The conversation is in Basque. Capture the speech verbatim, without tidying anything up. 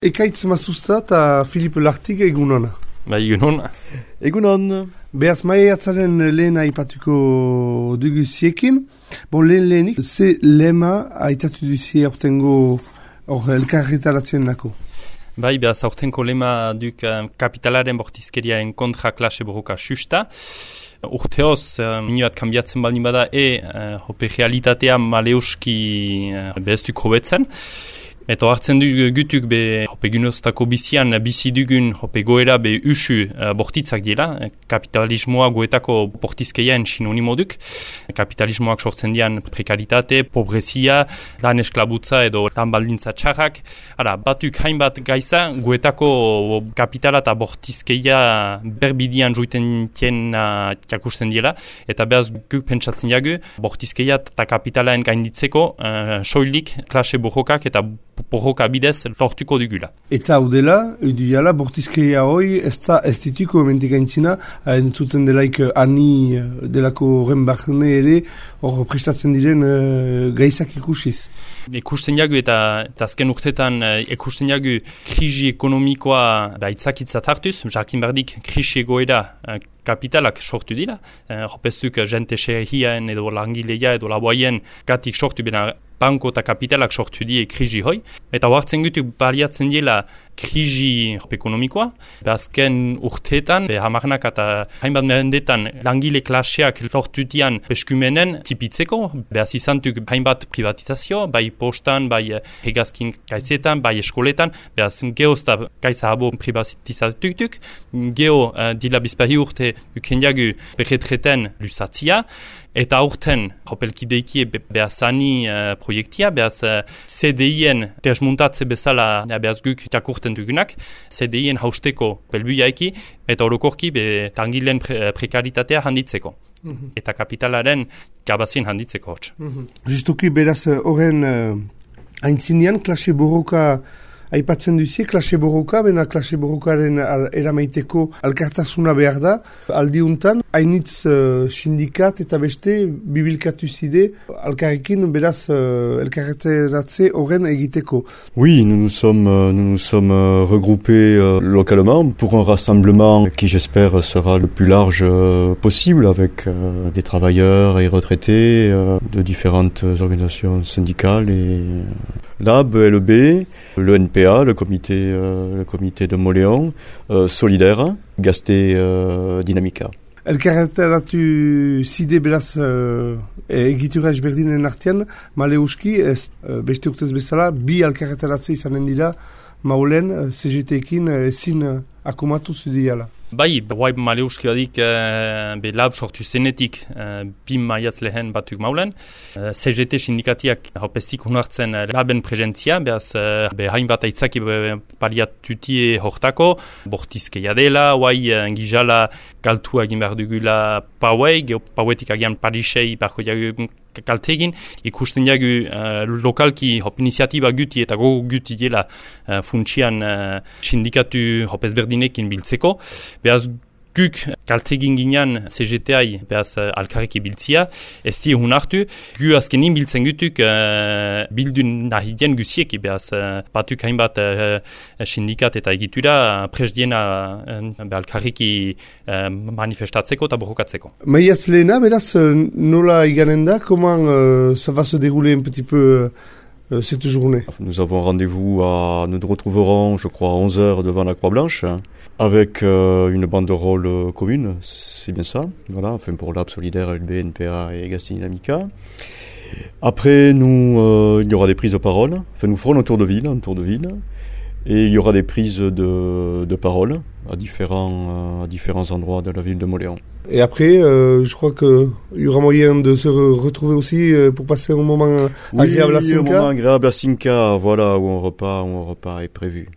Ekaitz Mazuzta eta Filip Lartig egunon. Ba, egunon. Egunon. Behaz, maiatzaren lehen aipatuko dugu ziekin. Bon, lehen lehenik, ze lema aitatu duzie aurtengo hor elkarretaratzen dako? Bai, behaz, aurtenko lema duk uh, kapitalaren bortizkeriaen kontra klase borroka susta. Urteoz, uh, mini bat kanbiatzen baldin bada, e, uh, hope realitatea maleuski uh, behaztuk hobetzen. Eta hartzen du gutuk be hope gunoztako bizian bizi dugun hope goera be usu uh, bortitzak dira. Kapitalismoa goetako bortizkeiaen sinonimo duk. Kapitalismoak sortzen dian prekaritate, pobrezia, lan esklabutza edo lan baldintza txarrak. Ara, batuk hainbat gaiza goetako kapitala eta bortizkeia berbidian joiten tiena jakusten dira. Eta behaz guk pentsatzen jagu, bortizkeia eta kapitalaen gainditzeko uh, soilik klase borrokak eta borroka bidez lortuko dugula. Eta hau dela, edu bortizkeia hoi, ez da ez dituko ementik aintzina, entzuten delaik ani delako horren barne ere, hor prestatzen diren uh, gaizak ikusiz. Ikusten jagu eta, eta azken urtetan ikusten jagu krisi ekonomikoa baitzakitzat hartuz, jakin bardik krisi egoera uh, kapitalak sortu dira. Hopezuk uh, jente xerhiaen edo langileia edo laboaien gatik sortu bena banko eta kapitalak sortu die krisi hoi. Eta hartzen gutu baliatzen diela krisi ekonomikoa. Azken urteetan, hamarnak eta hainbat mendetan langile klaseak lortu dian eskumenen tipitzeko. Behaz izantuk hainbat privatizazio, bai postan, bai hegazkin gaizetan, bai eskoletan. Behaz geozta gaiza habo privatizatutuk. Geo uh, dila bizpahi urte ukendiagu berretreten lusatzia. Eta aurten, hopelkideiki behazani uh, proiektia, behaz uh, C D I-en desmuntatze bezala behaz guk jakurten dugunak, C D I-en hausteko belbuiaiki, eta orokorki be langileen pre prekaritatea handitzeko. Mm-hmm. Eta kapitalaren gabazien handitzeko hotz. Mm-hmm. Justuki beraz horren uh, aintzinean klase borroka aipatzen duzie, klase borroka, bena klase borrokaren al, eramaiteko alkartasuna behar da. Aldiuntan, hainitz uh, sindikat eta beste bibilkatu zide alkarrekin beraz uh, elkarreteratze horren egiteko. Oui, nous nous sommes, euh, nous nous sommes euh, regroupés euh, localement pour un rassemblement qui j'espère sera le plus large euh, possible avec euh, des travailleurs et retraités euh, de différentes organisations syndicales et L A B, L E B, le N P A, le comité, euh, le comité de Moléon, euh, Solidaire, Gasté, euh, Dynamica. Elkarreteratu zide beraz uh, egitura ezberdinen artean, maleuski, ez, uh, beste urtez bezala, bi elkarreteratze izanen dira, maulen, uh, C G T-ekin uh, ezin uh, akomatu zudiala. Bai, bai maleuski badik uh, be lab sortu zenetik uh, bi maiatz lehen batuk maulen. Uh, C G T sindikatiak hopestik unartzen uh, laben presentzia, behaz uh, be hainbat aitzaki paliatutie hortako, bortizkeia dela, guai uh, gizala galtua egin behar dugula pauei, pauetik agian parisei barko jagu kaltegin, ikusten jagu uh, lokalki hop iniziatiba guti eta gogo guti dela uh, funtsian uh, sindikatu hop ezberdinekin biltzeko. Behaz guk kaltegin ginean C G T-ai behaz uh, alkarreki biltzia, ez di hun hartu, gu azkenin biltzen gutuk uh, bildun nahidien guzieki, behaz uh, batuk hainbat uh, sindikat eta egitura uh, presdiena uh, alkarreki uh, manifestatzeko eta borrokatzeko. Maiatz lehena, beraz, nola iganen da, comment uh, ça va se dérouler un petit peu euh, cette journée? Nous avons rendez-vous à, nous nous retrouverons, je crois, à onze heures devant la Croix-Blanche, avec euh, une banderole euh, commune, c'est bien ça, voilà, enfin pour L A B, Solidaire, L E B, N P A et Gasté Dynamica. Après, nous, euh, il y aura des prises de parole, enfin nous ferons un tour de ville, un tour de ville, et il y aura des prises de, de parole à différents, euh, à différents endroits de la ville de Moléon. Et après, euh, je crois qu'il y aura moyen de se re retrouver aussi euh, pour passer un moment oui, agréable à Cinca. Oui, un moment agréable à Cinca, voilà, où un repas, où un repas est prévu.